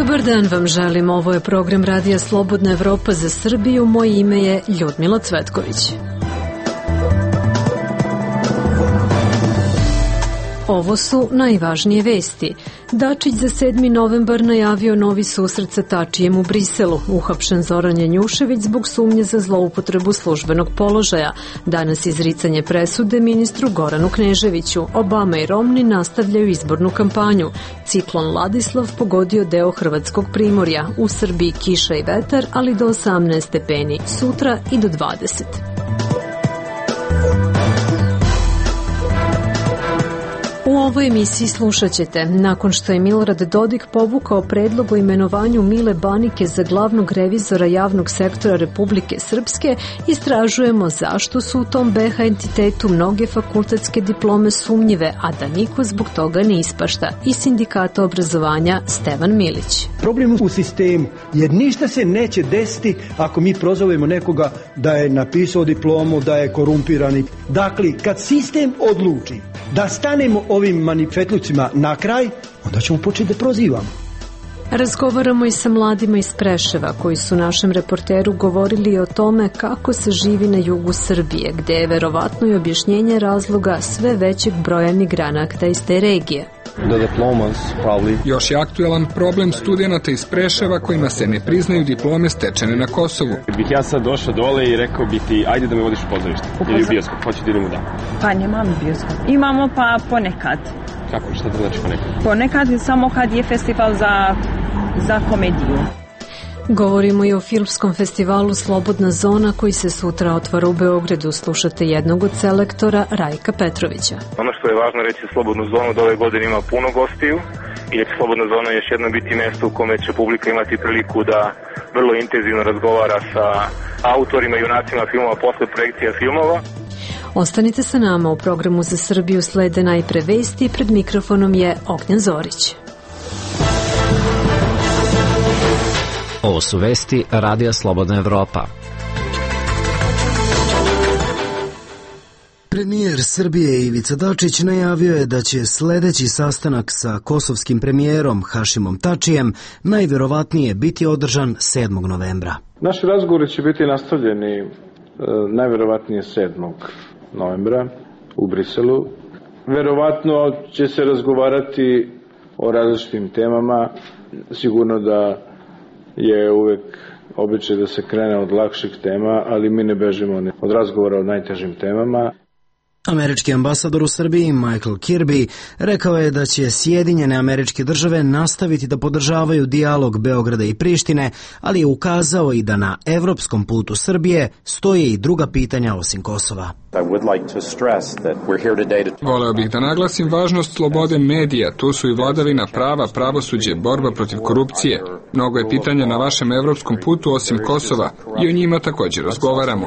Dobar dan vam želim, ovo je program Radija Slobodna Evropa za Srbiju, moje ime je Ljudmila Cvetković. Ovo su najvažnije vesti. Dačić za 7. novembar najavio novi susret sa Tačijem u Briselu. Uhapšen Zoran Janjušević zbog sumnje za zloupotrebu službenog položaja. Danas izricanje presude ministru Goranu Kneževiću. Obama i Romni nastavljaju izbornu kampanju. Ciklon Ladislav pogodio deo hrvatskog primorja. U Srbiji kiša i vetar, ali do 18 stepeni. Sutra i do 20. U ovoj emisiji slušat ćete, nakon što je Milorad Dodik povukao predlog o imenovanju Mile Banike za glavnog revizora javnog sektora Republike Srpske, istražujemo zašto su u tom BH entitetu mnoge fakultetske diplome sumnjive, a da niko zbog toga ne ispašta. Iz Sindikata obrazovanja Stevan Milić. Problem u sistemu, jer ništa se neće desiti ako mi prozovemo nekoga da je napisao diplomu, da je korumpirani. Dakle, kad sistem odluči da stanemo ovim manifetlucima na kraj, onda ćemo početi da prozivamo. Razgovaramo i sa mladima iz Preševa koji su našem reporteru govorili o tome kako se živi na jugu Srbije, gde je verovatno i objašnjenje razloga sve većeg broja migranata iz te regije. Još je aktuelan problem studenata iz Preševa kojima se ne priznaju diplome stečene na Kosovu. Bih ja sad došao dole i rekao bi ti, ajde da me vodiš u pozorište ili u bioskop, hoću da idemo da. Pa nemamo bioskop. Imamo pa ponekad. Kako, šta to znači ponekad? Ponekad samo kad je festival za komediju. Govorimo i o filmskom festivalu Slobodna zona koji se sutra otvara u Beogradu. Slušate jednog od selektora, Rajka Petrovića. Ono što je važno reći Slobodnu zonu da ove godine ima puno gostiju i da će Slobodna zona još jedno biti mesto u kome će publika imati priliku da vrlo intenzivno razgovara sa autorima i junacima filmova posle projekcija filmova. Ostanite sa nama, u programu za Srbiju slede najpre vesti, pred mikrofonom je Ognjen Zorić. Ovo su vesti Radija Slobodna Evropa. Premijer Srbije Ivica Dačić najavio je da će sledeći sastanak sa kosovskim premijerom Hašimom Tačijem najverovatnije biti održan 7. novembra. Naši razgovori će biti nastavljeni najverovatnije 7. novembra u Briselu. Verovatno će se razgovarati o različitim temama. Sigurno da je uvek običaj da se krene od lakših tema, ali mi ne bežimo od razgovora o najtežim temama. Američki ambasador u Srbiji Michael Kirby rekao je da će Sjedinjene Američke Države nastaviti da podržavaju dijalog Beograda i Prištine, ali je ukazao i da na evropskom putu Srbije stoje i druga pitanja osim Kosova. Voleo bih da naglasim važnost slobode medija, tu su i vladavina prava, pravosuđe, borba protiv korupcije. Mnogo je pitanja na vašem evropskom putu osim Kosova i o njima također razgovaramo.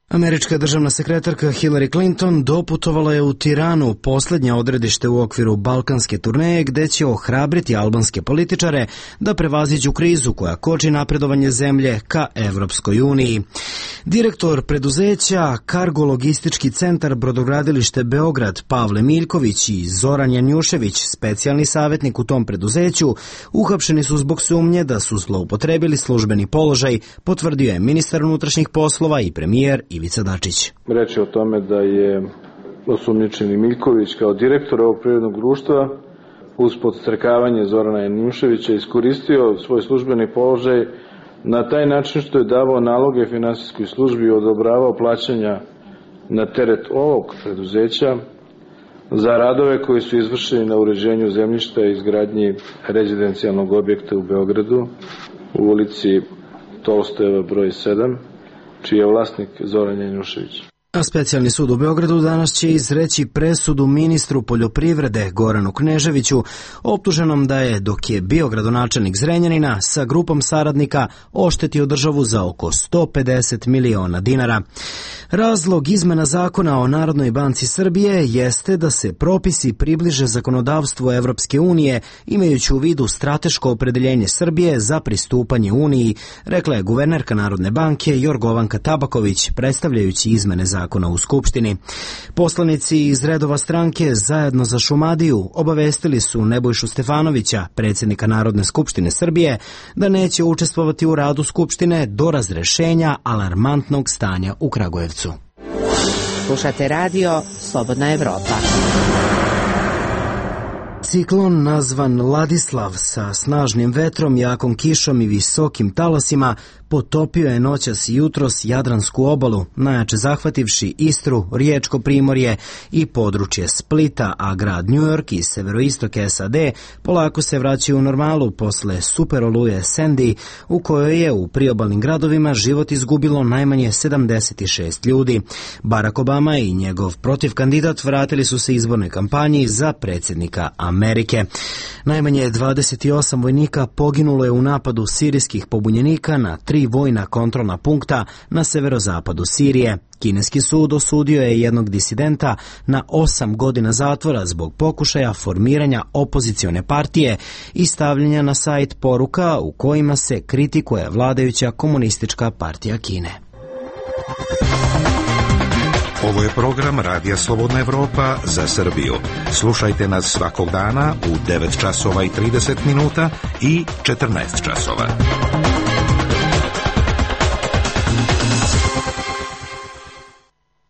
Američka državna sekretarka Hillary Clinton doputovala je u Tiranu, poslednje odredište u okviru balkanske turneje, gde će ohrabriti albanske političare da prevaziđu krizu koja koči napredovanje zemlje ka Evropskoj uniji. Direktor preduzeća Kargo logistički centar Brodogradilište Beograd Pavle Miljković i Zoran Janjušević, specijalni savjetnik u tom preduzeću, uhapšeni su zbog sumnje da su zloupotrebili službeni položaj, potvrdio je ministar unutrašnjih poslova i premijer Ivica Dačić. Reč je o tome da je osumnjičeni Miljković kao direktor ovog privrednog društva uz podstrekavanje Zorana Janjuševića iskoristio svoj službeni položaj na taj način što je davao naloge finansijskoj službi i odobravao plaćanja na teret ovog preduzeća za radove koji su izvršeni na uređenju zemljišta i izgradnji rezidencijalnog objekta u Beogradu u ulici Tolstojeva broj 7, čiji je vlasnik Zoran Janjušević. A specijalni sud u Beogradu danas će izreći presudu ministru poljoprivrede Goranu Kneževiću, optuženom da je, dok je bio gradonačelnik Zrenjanina, sa grupom saradnika oštetio državu za oko 150 miliona dinara. Razlog izmena zakona o Narodnoj banci Srbije jeste da se propisi približe zakonodavstvu Evropske unije, imajući u vidu strateško opredeljenje Srbije za pristupanje Uniji, rekla je guvernerka Narodne banke Jorgovanka Tabaković, predstavljajući izmene zakona. zakona u Skupštini. Poslanici iz redova stranke Zajedno za Šumadiju obavestili su Nebojšu Stefanovića, predsjednika Narodne skupštine Srbije, da neće učestvovati u radu Skupštine do razrešenja alarmantnog stanja u Kragujevcu. Slušate radio Slobodna Evropa. Ciklon nazvan Ladislav sa snažnim vetrom, jakom kišom i visokim talasima potopio je noćas i jutros Jadransku obalu, najjače zahvativši Istru, Riječko primorje i područje Splita, a grad New York i severoistok SAD polako se vraćaju u normalu posle super oluje Sandy, u kojoj je u priobalnim gradovima život izgubilo najmanje 76 ljudi. Barack Obama i njegov protivkandidat vratili su se izbornoj kampanji za predsjednika Amerike. Najmanje 28 vojnika poginulo je u napadu sirijskih pobunjenika na 3 vojna kontrolna punkta na severozapadu Sirije. Kineski sud osudio je jednog disidenta na 8 godina zatvora zbog pokušaja formiranja opozicione partije i stavljanja na sajt poruka u kojima se kritikuje vladajuća Komunistička partija Kine. Ovo je program Radija Slobodna Evropa za Srbiju. Slušajte nas svakog dana u 9 časova i 30 minuta i 14 časova.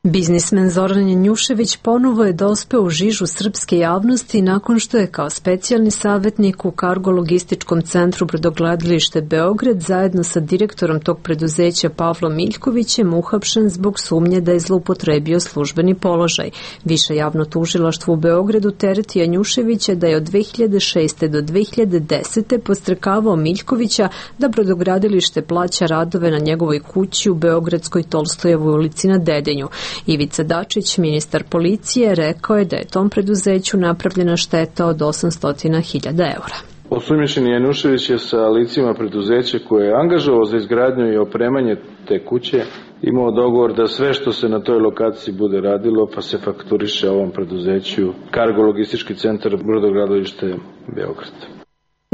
Biznismen Zoran Janjušević ponovo je dospeo u žižu srpske javnosti nakon što je kao specijalni savjetnik u Kargo-logističkom centru Brodogradilište Beograd zajedno sa direktorom tog preduzeća Pavlom Miljkovićem uhapšen zbog sumnje da je zloupotrebio službeni položaj. Više javno tužilaštvo u Beogradu tereti Janjuševića da je od 2006. do 2010. podstrekavao Miljkovića da Brodogradilište plaća radove na njegovoj kući u Beogradskoj Tolstojevoj ulici na Dedinju. Ivica Dačić, ministar policije, rekao je da je tom preduzeću napravljena šteta od 800.000 eura. Osumnjičeni Janjušević je sa licima preduzeća koje je angažovao za izgradnju i opremanje te kuće imao dogovor da sve što se na toj lokaciji bude radilo pa se fakturiše ovom preduzeću Kargo-logistički centar Brodogradilište Beograd.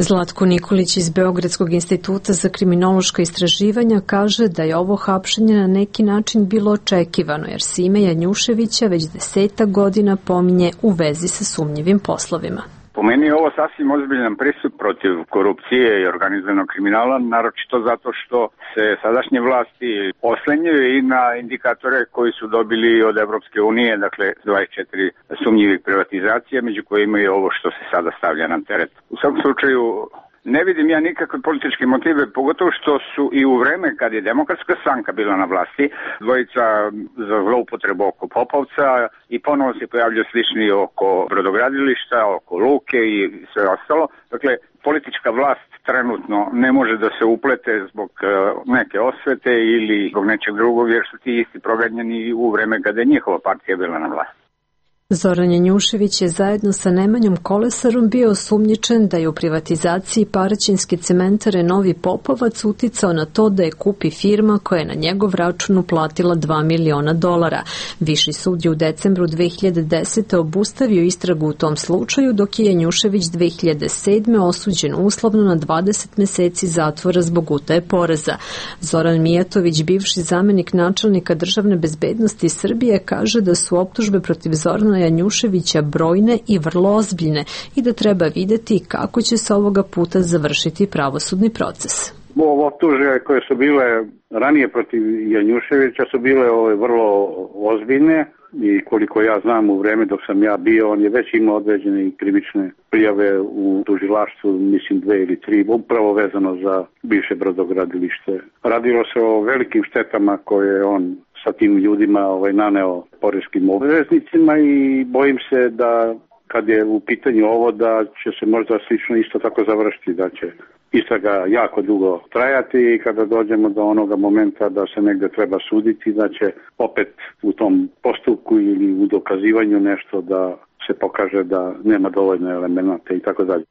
Zlatko Nikolić iz Beogradskog instituta za kriminološka istraživanja kaže da je ovo hapšenje na neki način bilo očekivano, jer se ime Janjuševića već 10 godina pominje u vezi sa sumnjivim poslovima. Po meni je ovo sasvim ozbiljan pristup protiv korupcije i organizovanog kriminala, naročito zato što se sadašnje vlasti oslanjaju i na indikatore koji su dobili od Evropske unije, dakle 24 sumnjivih privatizacija, među kojima je ovo što se sada stavlja na teret. U svakom slučaju ne vidim ja nikakve političke motive, pogotovo što su i u vreme kad je Demokratska stranka bila na vlasti, dvojica za zloupotrebu oko Popovca i ponovo se pojavljaju slični oko brodogradilišta, oko luke i sve ostalo. Dakle, politička vlast trenutno ne može da se uplete zbog neke osvete ili zbog nečeg drugog, jer su ti isti proganjeni u vreme kada je njihova partija bila na vlasti. Zoran Janjušević je zajedno sa Nemanjom Kolesarom bio osumnjičen da je u privatizaciji Paraćinske cementare Novi Popovac uticao na to da je kupi firma koja je na njegov račun uplatila $2 miliona. Viši sud je u decembru 2010. obustavio istragu u tom slučaju, dok je Janjušević 2007. osuđen uslovno na 20 meseci zatvora zbog utaje poreza. Zoran Mijatović, bivši zamenik načelnika državne bezbednosti Srbije, kaže da su optužbe protiv Zorana Janjuševića brojne i vrlo ozbiljne i da treba videti kako će se ovoga puta završiti pravosudni proces. Ovo optužbe koje su bile ranije protiv Janjuševića su bile vrlo ozbiljne i koliko ja znam u vreme dok sam ja bio, on je već imao određene krivične prijave u tužilaštvu, mislim 2 ili 3, upravo vezano za bivše brodogradilište. Radilo se o velikim štetama koje on sa tim ljudima naneo poreskim obveznicima i bojim se da kad je u pitanju ovo da će se možda slično isto tako završiti, da će istraga jako dugo trajati i kada dođemo do onoga momenta da se negde treba suditi, da će opet u tom postupku ili u dokazivanju nešto da se pokaže da nema dovoljno elemenata i tako dalje.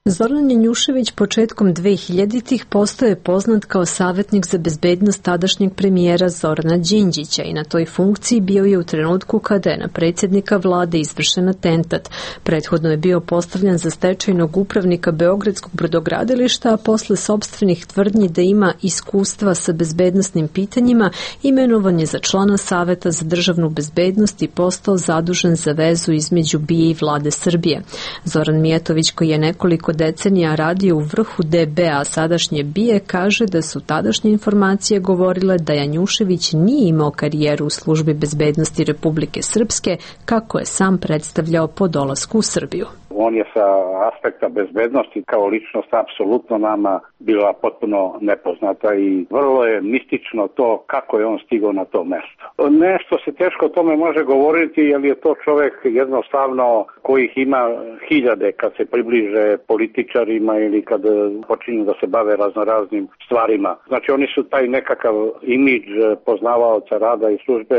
Zoran Janjušević početkom 2000-ih postao je poznat kao savjetnik za bezbednost tadašnjeg premijera Zorana Đinđića i na toj funkciji bio je u trenutku kada je na predsjednika vlade izvršen atentat. Prethodno je bio postavljan za stečajnog upravnika Beogradskog brodogradilišta, a posle sopstvenih tvrdnji da ima iskustva sa bezbednosnim pitanjima, imenovan je za člana Saveta za državnu bezbednost i postao zadužen za vezu između BIA i vlade Srbije. Zoran Mijatović, koji je nekoliko decenija radio u vrhu DB-a, sadašnje BIA, kaže da su tadašnje informacije govorile da Janjušević nije imao karijeru u službi bezbednosti Republike Srpske, kako je sam predstavljao po dolasku u Srbiju. On je sa aspekta bezbednosti kao ličnost apsolutno nama bila potpuno nepoznata i vrlo je mistično to kako je on stigao na to mesto. Nešto se teško o tome može govoriti, jer je to čovjek jednostavno kojih ima hiljade kad se približe političarima ili kad počinju da se bave raznoraznim stvarima. Znači oni su taj nekakav imidž poznavaoca rada i službe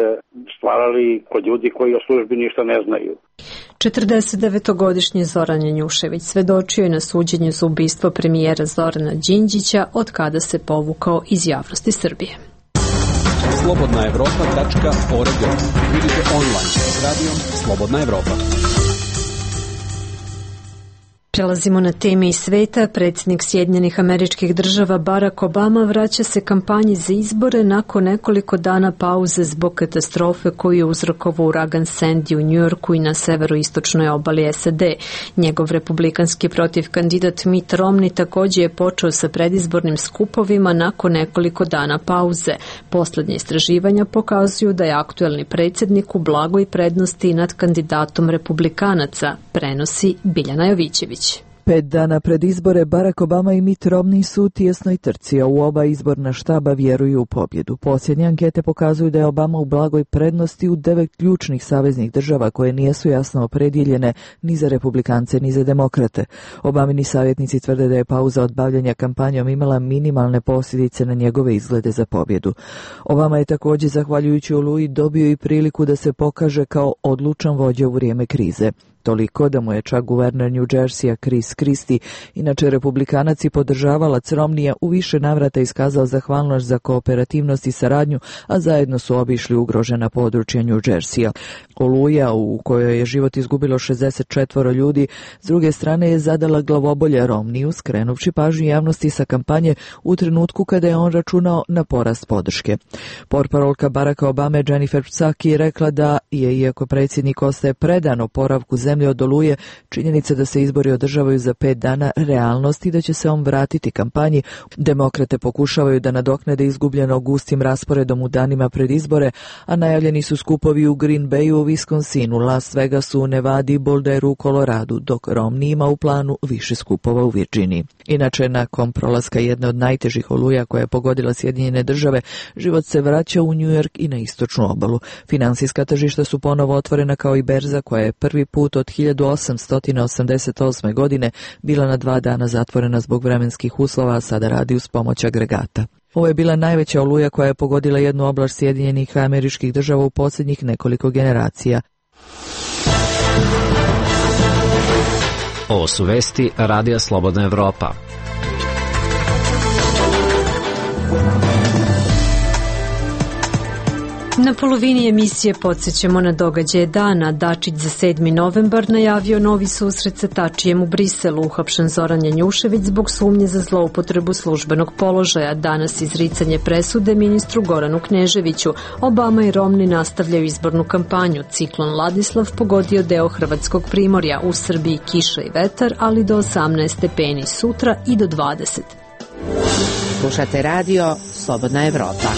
stvarali kod ljudi koji o službi ništa ne znaju. 49-godišnji Zoran Janjušević svedočio je na suđenju za ubistvo premijera Zorana Đinđića, od kada se povukao iz javnosti Srbije. Slobodnaevropa.org. Vidite online s radijom Slobodna Evropa. Prelazimo na teme iz sveta. Predsjednik Sjedinjenih Američkih Država Barack Obama vraća se kampanji za izbore nakon nekoliko dana pauze zbog katastrofe koju je uzrokovao uragan Sandy u Njujorku i na severoistočnoj obali SAD. Njegov republikanski protiv kandidat Mitt Romney također je počeo sa predizbornim skupovima nakon nekoliko dana pauze. Poslednje istraživanja pokazuju da je aktuelni predsjednik u blagoj prednosti nad kandidatom republikanaca, prenosi Biljana Jovićević. 5 dana pred izbore Barack Obama i Mitt Romney su u tijesnoj trci, a u oba izborna štaba vjeruju u pobjedu. Posljednje ankete pokazuju da je Obama u blagoj prednosti u 9 ključnih saveznih država koje nijesu jasno opredjeljene ni za republikance ni za demokrate. Obamini savjetnici tvrde da je pauza od bavljenja kampanjom imala minimalne posljedice na njegove izglede za pobjedu. Obama je također, zahvaljujući Oluji, dobio i priliku da se pokaže kao odlučan vođa u vrijeme krize. Toliko da mu je čak guverner New Jersey Chris Christie, inače republikanac i podržavalac Romneya, u više navrata iskazao zahvalnost za kooperativnost i saradnju, a zajedno su obišli ugrožena područja New Jerseya. Oluja, u kojoj je život izgubilo 64 ljudi, s druge strane je zadala glavobolje Romneyu, skrenuvši pažnju javnosti sa kampanje u trenutku kada je on računao na porast podrške. Portparolka Baracka Obame Jennifer Psaki je rekla da je, iako predsjednik ostaje predan oporavku zemlje od Oluje, činjenica da se izbori održavaju za 5 dana realnost i da će se on vratiti kampanji. Demokrate pokušavaju da nadoknade izgubljeno gustim rasporedom u danima pred izbore, a najavljeni su skupovi u Green Bayu, u Wisconsinu, Las Vegasu, Nevadi i Boulderu u Koloradu, dok Romney ima u planu više skupova u Virginiji. Inače, nakon prolaska jedne od najtežih oluja koja je pogodila Sjedinjene Države, život se vraća u New York i na istočnu obalu. Finansijska tržišta su ponovo otvorena kao i berza koja je prvi put od 1888. godine bila na 2 dana zatvorena zbog vremenskih uslova, a sada radi uz pomoć agregata. Ovo je bila najveća oluja koja je pogodila jednu oblast Sjedinjenih Američkih Država u posljednjih nekoliko generacija. Ovo su vesti Radija Slobodna Evropa. Na polovini emisije podsjećamo na događaje dana. Dačić za 7. novembar najavio novi susret sa Tačijem u Briselu. Uhapšen Zoran Janjušević zbog sumnje za zloupotrebu službenog položaja. Danas izricanje presude ministru Goranu Kneževiću. Obama i Romney nastavljaju izbornu kampanju. Ciklon Ladislav pogodio deo hrvatskog primorja. U Srbiji kiša i vetar, ali do 18 stepeni sutra i do 20. Slušate radio Slobodna Evropa.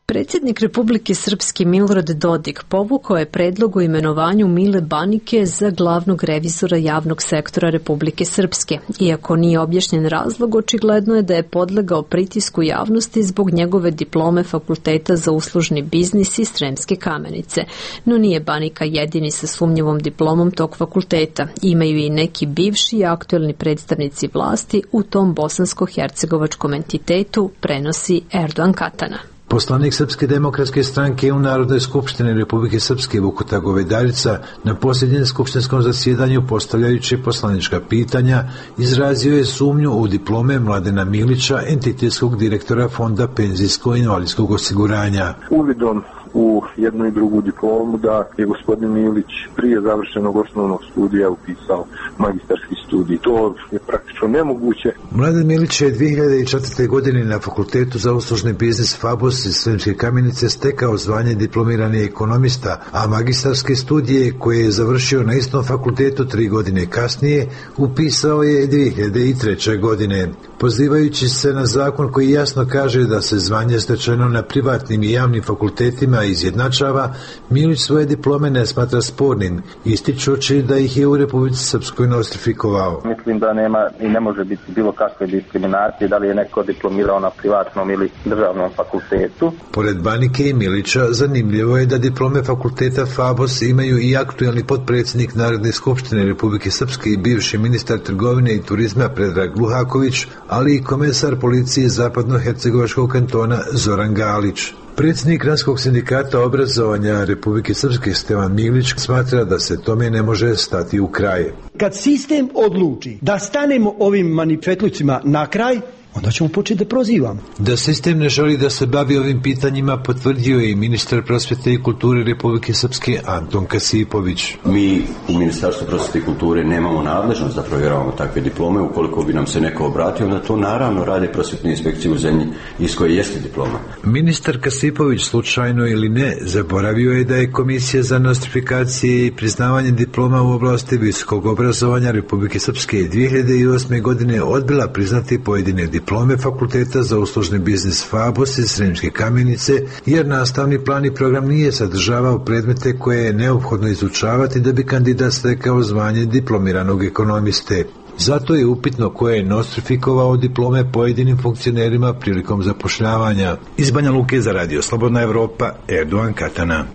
Predsjednik Republike Srpske Milorad Dodik povukao je predlog o imenovanju Mile Banike za glavnog revizora javnog sektora Republike Srpske. Iako nije objašnjen razlog, očigledno je da je podlegao pritisku javnosti zbog njegove diplome Fakulteta za uslužni biznis iz Sremske Kamenice. No nije Banika jedini sa sumnjivom diplomom tog fakulteta. Imaju i neki bivši i aktuelni predstavnici vlasti u tom bosansko-hercegovačkom entitetu, prenosi Erdogan Katana. Poslanik Srpske demokratske stranke u Narodnoj skupštini Republike Srpske Vukuta Govedarica na posljednjem skupštinskom zasjedanju, postavljajući poslanička pitanja, izrazio je sumnju u diplome Mladena Milića, entitetskog direktora Fonda penzijsko-invalidskog osiguranja. Uvidom u jednu i drugu diplomu da je gospodin Milić prije završenog osnovnog studija upisao magistarski studij. To je praktično nemoguće. Mladen Milić je 2004. godine na Fakultetu za uslužni biznis Fabos iz Sremske Kamenice stekao zvanje diplomirani ekonomista, a magistarske studije koje je završio na istom fakultetu 3 godine kasnije upisao je 2003. godine. Pozivajući se na zakon koji jasno kaže da se zvanje stečeno na privatnim i javnim fakultetima izjednačava, Milić svoje diplome ne smatra spornim, ističući da ih je u Republici Srpskoj nostrifikovao. Mislim da nema i ne može biti bilo kakve diskriminacije, da li je neko diplomirao na privatnom ili državnom fakultetu. Pored Banike i Milića, zanimljivo je da diplome fakulteta Fabos imaju i aktuelni potpredsjednik Narodne skupštine Republike Srpske i bivši ministar trgovine i turizma Predrag Luhaković, ali i komesar policije Zapadno-hercegovačkog kantona Zoran Galić. Predsjednik Granskog sindikata obrazovanja Republike Srpske Stevan Milić smatra da se tome ne može stati u kraj. Kad sistem odluči da stanemo ovim manifetlucima na kraj, onda ćemo početi da prozivamo. Da sistem ne želi da se bavi ovim pitanjima potvrdio je i ministar prosvjete i kulture Republike Srpske Anton Kasipović. Mi u Ministarstvu prosvjete i kulture nemamo nadležnost da provjeravamo takve diplome. Ukoliko bi nam se neko obratio, onda to naravno rade prosvjetne inspekcije u zemlji iz koje jeste diploma. Ministar Kasipović, slučajno ili ne, zaboravio je da je Komisija za nostrifikacije i priznavanje diploma u oblasti visokog obrazovanja Republike Srpske 2008. godine odbila priznati pojedine diplome Fakulteta za uslužni biznis Fabos iz Sremske Kamenice, jer nastavni plan i program nije sadržavao predmete koje je neophodno izučavati da bi kandidat stekao zvanje diplomiranog ekonomiste. Zato je upitno ko je nostrifikovao diplome pojedinim funkcionerima prilikom zapošljavanja. Iz Banja Luke za Radio Slobodna Evropa, Erdogan Katana.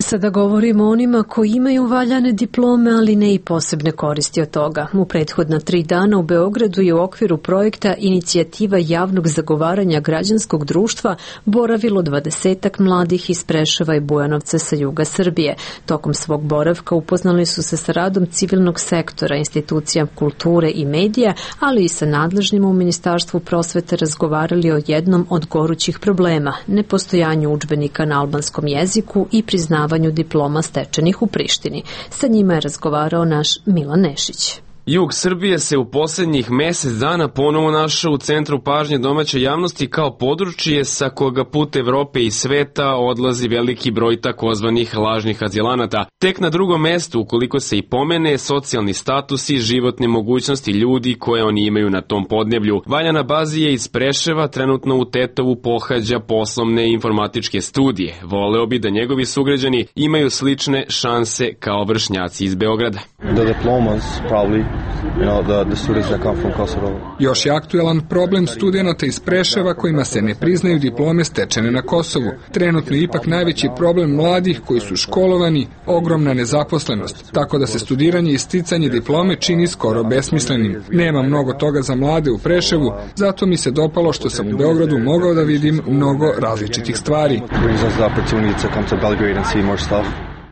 Sada govorimo o onima koji imaju valjane diplome, ali ne i posebne koristi od toga. U prethodna 3 dana u Beogradu je u okviru projekta Inicijativa javnog zagovaranja građanskog društva boravilo 20 mladih iz Preševa i Bujanovca sa juga Srbije. Tokom svog boravka upoznali su se sa radom civilnog sektora, institucija kulture i medija, ali i sa nadležnjima u Ministarstvu prosvete razgovarali o jednom od gorućih problema, nepostojanju udžbenika na albanskom jeziku i priznavanju diploma stečenih u Prištini. Sa njima je razgovarao naš Milan Nešić. Jug Srbije se u posljednjih mjesec dana ponovo našao u centru pažnje domaće javnosti kao područje sa koga put Evrope i sveta odlazi veliki broj takozvanih lažnih azilanata. Tek na drugom mjestu, ukoliko se i pomene, socijalni status i životne mogućnosti ljudi koje oni imaju na tom podneblju. Valjana Bazije iz Preševa trenutno u Tetovu pohađa poslovne i informatičke studije. Voleo bi da njegovi sugrađani imaju slične šanse kao vršnjaci iz Beograda. Još je aktuelan problem studenata iz Preševa kojima se ne priznaju diplome stečene na Kosovu. Trenutno je ipak najveći problem mladih koji su školovani, ogromna nezaposlenost, tako da se studiranje i sticanje diplome čini skoro besmislenim. Nema mnogo toga za mlade u Preševu, zato mi se dopalo što sam u Beogradu mogao da vidim mnogo različitih stvari.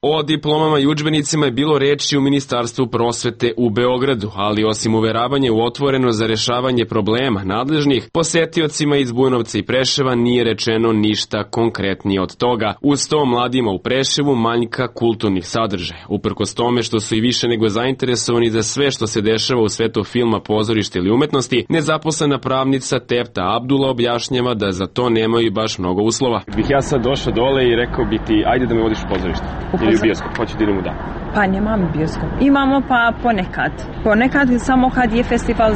O diplomama i udžbenicima je bilo reči u Ministarstvu prosvete u Beogradu, ali osim uveravanja u otvoreno za rešavanje problema nadležnih, posetiocima iz Bujanovca i Preševa nije rečeno ništa konkretnije od toga. Uz to mladima u Preševu manjka kulturnih sadržaja. Uprkos tome što su i više nego zainteresovani za sve što se dešava u svetu filma, pozorišta ili umetnosti, nezaposlena pravnica Tefta Abdula objašnjava da za to nemaju baš mnogo uslova. Bih ja sad došao dole i rekao bi ti, ajde da me vodiš u pozorište. Ili u bioskop, hoću da idemo da. Pa nemamo bioskop. Imamo pa ponekad. Ponekad samo kad je festival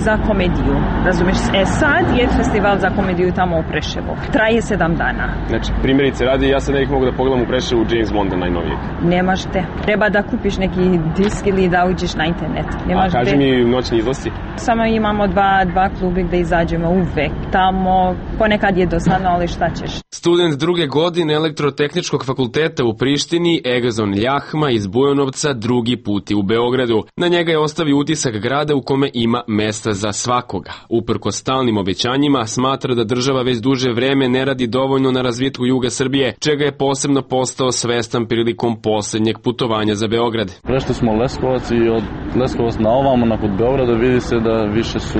za komediju. Razumeš? Sad je festival za komediju tamo u Preševu. Traje 7 dana. Znači, primjerice radi, ja sad ne bih mogu da pogledam u Preševu James Bonda najnovijeg. Nemaš te. Treba da kupiš neki disk ili da uđeš na internet. Nemaš kaži mi noćni izlasci. Samo imamo dva klubi gde izađemo uvek. Tamo ponekad je dosadno, ali šta ćeš. Student druge godine Elektrotehničkog fakulteta u Prištini, Egazon Ljahma iz Bujanovca, drugi put je u Beogradu. Na njega je ostavio utisak grada u kome ima mesta za svakoga. Uprkos stalnim obećanjima, smatra da država već duže vreme ne radi dovoljno na razvitku juga Srbije, čega je posebno postao svestan prilikom poslednjeg putovanja za Beograd. Prešli smo Leskovac i od Leskovac na ovamo, nakon Beograda, vidi se da više su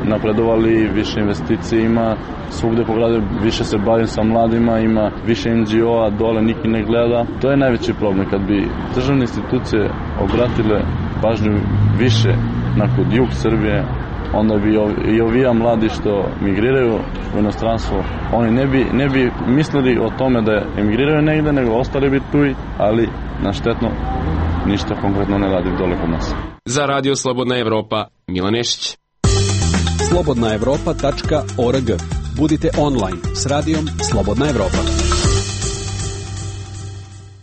napredovali, više investicije ima, svugde po gradu više se bavim sa mladima, ima više NGO-a, dole niki ne gleda. To je najveći problem. Kad bi državne institucije obratile pažnju više na jug Srbije, onda bi i ovija mladi što migriraju u inostranstvo, oni ne bi mislili o tome da emigriraju negde, nego ostali bi tu, ali na štetno ništa konkretno ne radi dole kod nas. Za Radio Slobodna Evropa, Milan Nešić. slobodnaevropa.org. Budite online s radijom Slobodna Evropa.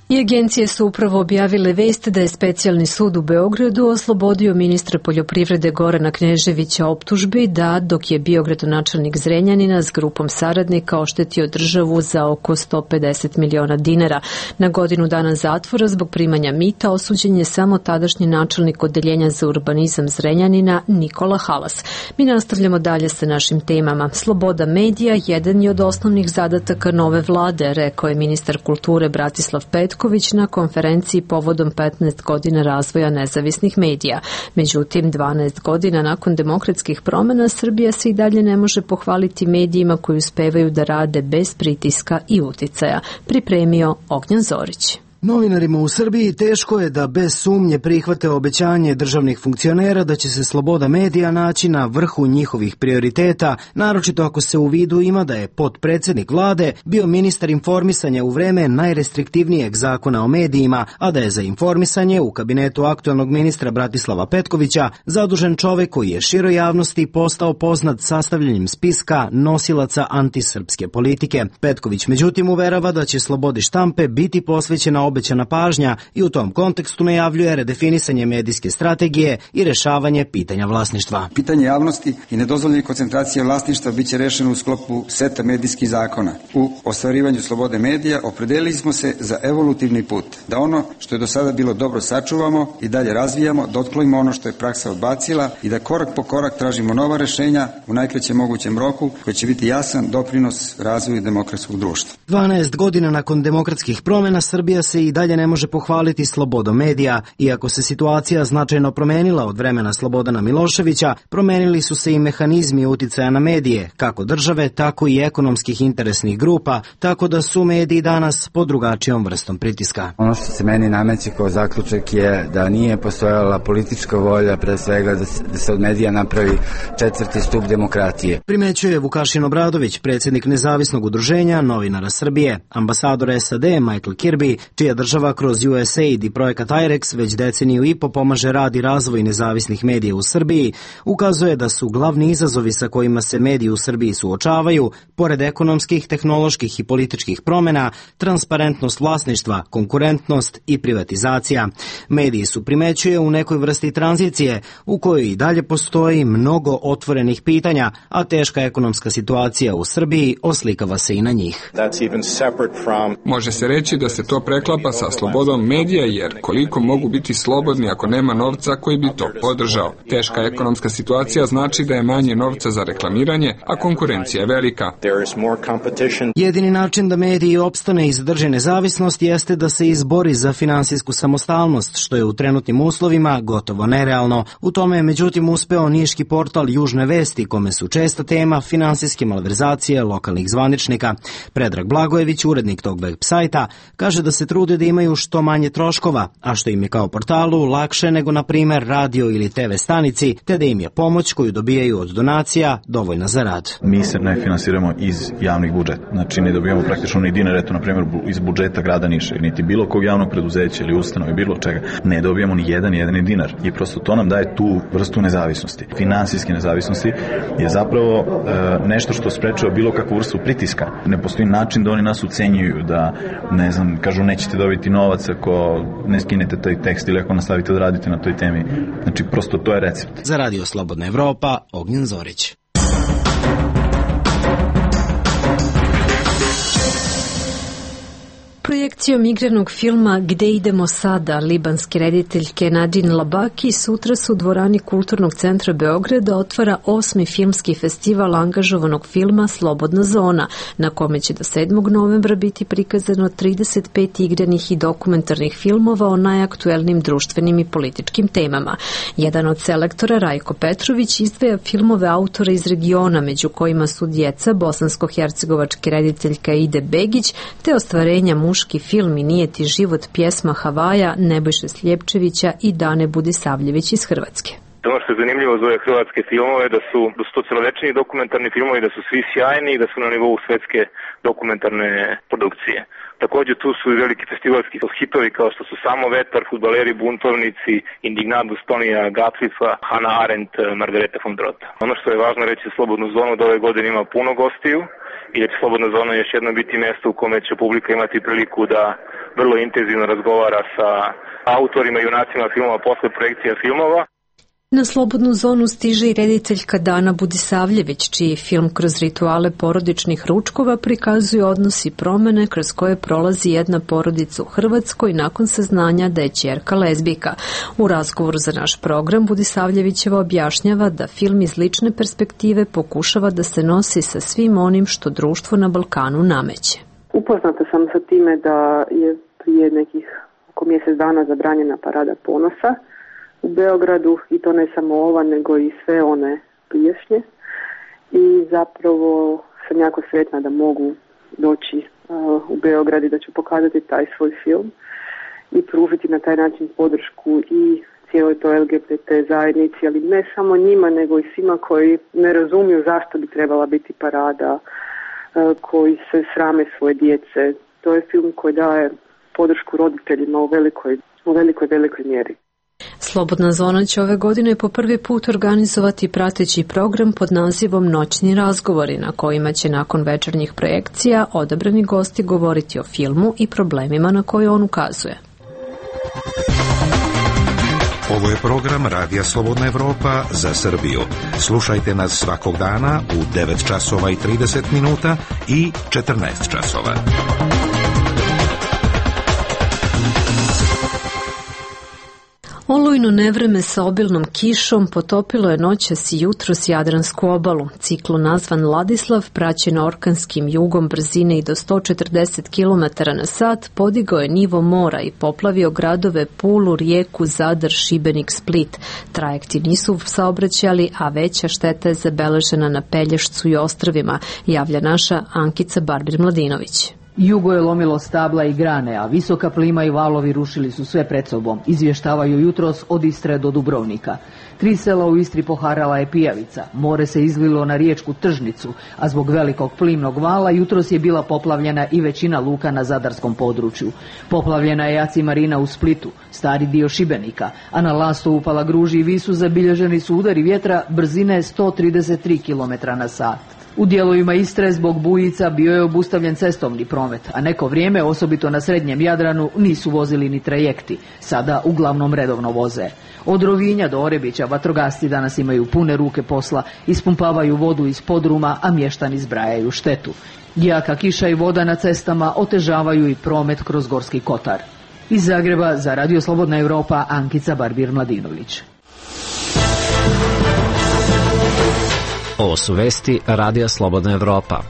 I agencije su upravo objavile vest da je specijalni sud u Beogradu oslobodio ministra poljoprivrede Gorana Kneževića optužbi da, dok je bio gradonačelnik Zrenjanina s grupom saradnika, oštetio državu za oko 150 miliona dinara. Na godinu dana zatvora zbog primanja mita osuđen je samo tadašnji načelnik odeljenja za urbanizam Zrenjanina Nikola Halas. Mi nastavljamo dalje sa našim temama. Sloboda medija jedan je od osnovnih zadataka nove vlade, rekao je ministar kulture Bratislav Petković na konferenciji povodom 15 godina razvoja nezavisnih medija. Međutim, 12 godina nakon demokratskih promena Srbija se i dalje ne može pohvaliti medijima koji uspevaju da rade bez pritiska i uticaja. Pripremio Ognjan Zorić. Novinarima u Srbiji teško je da bez sumnje prihvate obećanje državnih funkcionera da će se sloboda medija naći na vrhu njihovih prioriteta, naročito ako se u vidu ima da je potpredsednik vlade bio ministar informisanja u vreme najrestriktivnijeg zakona o medijima, a da je za informisanje u kabinetu aktuelnog ministra Bratislava Petkovića zadužen čovek koji je široj javnosti postao poznat sastavljanjem spiska nosilaca antisrpske politike. Petković međutim uverava da će slobodi štampe biti posvećena obećana pažnja i u tom kontekstu najavljuje redefinisanje medijske strategije i rešavanje pitanja vlasništva. Pitanje javnosti i nedozvoljene koncentracije vlasništva biće rešeno u sklopu seta medijskih zakona. U ostvarivanju slobode medija opredelili smo se za evolutivni put, da ono što je do sada bilo dobro sačuvamo i dalje razvijamo, da otklonimo ono što je praksa odbacila i da korak po korak tražimo nova rešenja u najkraćem mogućem roku koji će biti jasan doprinos razvoju demokratskog društva. 12 godina nakon demokratskih promena Srbija se i dalje ne može pohvaliti slobodom medija. Iako se situacija značajno promenila od vremena Slobodana Miloševića, promenili su se i mehanizmi uticaja na medije, kako države, tako i ekonomskih interesnih grupa, tako da su mediji danas pod drugačijom vrstom pritiska. Ono što se meni nameće kao zaključak je da nije postojala politička volja, pre svega da se od medija napravi četvrti stup demokratije. Primećuje Vukašin Obradović, predsjednik nezavisnog udruženja novinara Srbije. Ambasador SAD Michael Kirby, čija država kroz USAID i projekat IREX već deceniju i po pomaže rad i razvoj nezavisnih medija u Srbiji, ukazuje da su glavni izazovi sa kojima se mediji u Srbiji suočavaju, pored ekonomskih, tehnoloških i političkih promena, transparentnost vlasništva, konkurentnost i privatizacija. Mediji su, primećuje, u nekoj vrsti tranzicije u kojoj i dalje postoji mnogo otvorenih pitanja, a teška ekonomska situacija u Srbiji oslikava se i na njih. Može se reći da se to preklapa sa slobodom medija, jer koliko mogu biti slobodni ako nema novca koji bi to podržao. Teška ekonomska situacija znači da je manje novca za reklamiranje, a konkurencija je velika. Jedini način da mediji opstane i zadrže nezavisnost jeste da se izbori za finansijsku samostalnost, što je u trenutnim uslovima gotovo nerealno. U tome je međutim uspeo niški portal Južne vesti, kome su česta tema finansijske malverzacije lokalnih zvaničnika. Predrag Blagojević, urednik tog web sajta, kaže da se trude da imaju što manje troškova, a što im je kao portalu lakše nego na primer radio ili TV stanici, te da im je pomoć koju dobijaju od donacija dovoljna za rad. Mi se ne finansiramo iz javnih budžeta, znači ne dobijamo praktično ni dinar, eto na primjer iz budžeta grada Niša, niti bilo kog javnog preduzeća ili ustanove, bilo čega, ne dobijamo ni jedini dinar i prosto to nam daje tu vrstu nezavisnosti. Finansijske nezavisnosti je zapravo nešto što sprečava bilo kakvu vrstu pritiska. Ne postoji način da oni nas ucenjuju, da ne znam, kažu nećete dobiti novac ako ne skinete taj tekst ili ako nastavite da radite na toj temi. Znači prosto to je recept. Za Radio Slobodna Evropa, Ognjan Zorić. Projekcijom igranog filma Gde idemo sada, libanske rediteljke Nadine Labaki sutra su u dvorani Kulturnog centra Beograda otvara 8. filmski festival angažovanog filma Slobodna zona, na kome će do 7. novembra biti prikazano 35 igranih i dokumentarnih filmova o najaktuelnim društvenim i političkim temama. Jedan od selektora, Rajko Petrović, izdvaja filmove autora iz regiona, među kojima su Djeca, bosansko-hercegovačke rediteljka Ide Begić, te ostvarenja Muški film i Nije ti život pjesma Havaja Nebojše Sljepčevića i Dane Budisavljević iz Hrvatske. Ono što je zanimljivo za ove hrvatske filmove da su to celovečni dokumentarni filmovi, da su svi sjajni i da su na nivou svetske dokumentarne produkcije. Također tu su i veliki festivalski hitovi kao što su Samo vetar, Fudbaleri buntovnici, Indignadus Tonija Gatlifa, Hannah Arendt, Margareta von Drota. Ono što je važno reći Slobodnu zonu da ove godine ima puno gostiju i da će Slobodna zona još jedno biti mjesto u kome će publika imati priliku da vrlo intenzivno razgovara sa autorima i junacima filmova posle projekcija filmova. Na Slobodnu zonu stiže i rediteljka Dana Budisavljević, čiji film kroz rituale porodičnih ručkova prikazuje odnos i promene kroz koje prolazi jedna porodica u Hrvatskoj nakon saznanja da je ćerka lezbijka. U razgovoru za naš program Budisavljevićeva objašnjava da film iz lične perspektive pokušava da se nosi sa svim onim što društvo na Balkanu nameće. Upoznata sam sa time da je prije nekih oko mjesec dana zabranjena parada ponosa u Beogradu i to ne samo ova nego i sve one prijašnje i zapravo sam jako sretna da mogu doći u Beograd i da ću pokazati taj svoj film i pružiti na taj način podršku i cijeloj toj LGBT zajednici, ali ne samo njima nego i svima koji ne razumiju zašto bi trebala biti parada, koji se srame svoje djece. To je film koji daje podršku roditeljima u velikoj mjeri. Slobodna zona će ove godine po prvi put organizovati prateći program pod nazivom Noćni razgovori, na kojima će nakon večernjih projekcija odabrani gosti govoriti o filmu i problemima na koje on ukazuje. Ovo je program Radija Slobodna Evropa za Srbiju. Slušajte nas svakog dana u 9 časova i 30 minuta i 14 časova. Olujno nevreme sa obilnom kišom potopilo je noćas i jutros Jadransku obalu. Ciklon nazvan Ladislav, praćen orkanskim jugom brzine i do 140 km na sat, podigao je nivo mora i poplavio gradove Pulu, Rijeku, Zadar, Šibenik, Split. Trajekti nisu saobraćali, a veća šteta je zabeležena na Pelješcu i Ostrvima, javlja naša Ankica Barbir-Mladinović. Jugo je lomilo stabla i grane, a visoka plima i valovi rušili su sve pred sobom, izvještavaju jutros od Istre do Dubrovnika. 3 sela u Istri poharala je pijavica, more se izlilo na riječku Tržnicu, a zbog velikog plimnog vala jutros je bila poplavljena i većina luka na zadarskom području. Poplavljena je Jaci Marina u Splitu, stari dio Šibenika, a na Lastovu, Palagruži i Visu zabilježeni su udari vjetra brzine 133 km na sat. U dijelovima Istre zbog bujica bio je obustavljen cestovni promet, a neko vrijeme, osobito na srednjem Jadranu, nisu vozili ni trajekti. Sada uglavnom redovno voze. Od Rovinja do Orebića vatrogasci danas imaju pune ruke posla, ispumpavaju vodu iz podruma, a mještani zbrajaju štetu. Jaka kiša i voda na cestama otežavaju i promet kroz Gorski Kotar. Iz Zagreba za Radio Slobodna Evropa, Ankica Barbir-Mladinović. Ovo su vesti Radija Slobodna Evropa.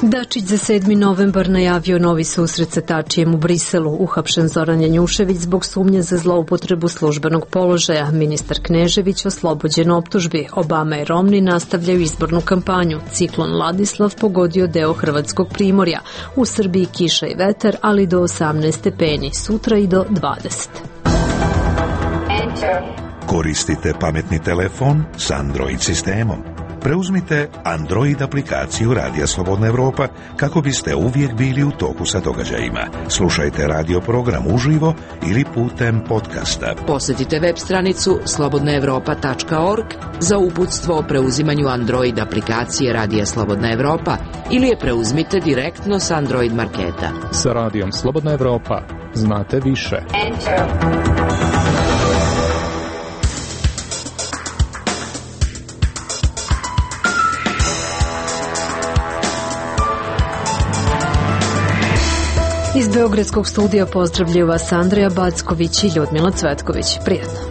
Dačić za 7. novembar najavio novi susret sa Tačijem u Briselu. Uhapšen Zoran Janjušević zbog sumnje za zloupotrebu službenog položaja. Ministar Knežević oslobođen optužbi. Obama i Romni nastavljaju izbornu kampanju. Ciklon Ladislav pogodio deo hrvatskog primorja. U Srbiji kiša i vetar, ali do 18 stepeni. Sutra i do 20. Koristite pametni telefon s Android sistemom. Preuzmite Android aplikaciju Radija Slobodna Evropa kako biste uvijek bili u toku sa događajima. Slušajte radio program uživo ili putem podcasta. Posjetite web stranicu slobodnaevropa.org za uputstvo o preuzimanju Android aplikacije Radija Slobodna Evropa ili je preuzmite direktno s Android marketa. Sa Radijom Slobodna Evropa znate više. Iz Beogradskog studija pozdravljaju vas Andreja Backović i Ljudmila Cvetković. Prijetno.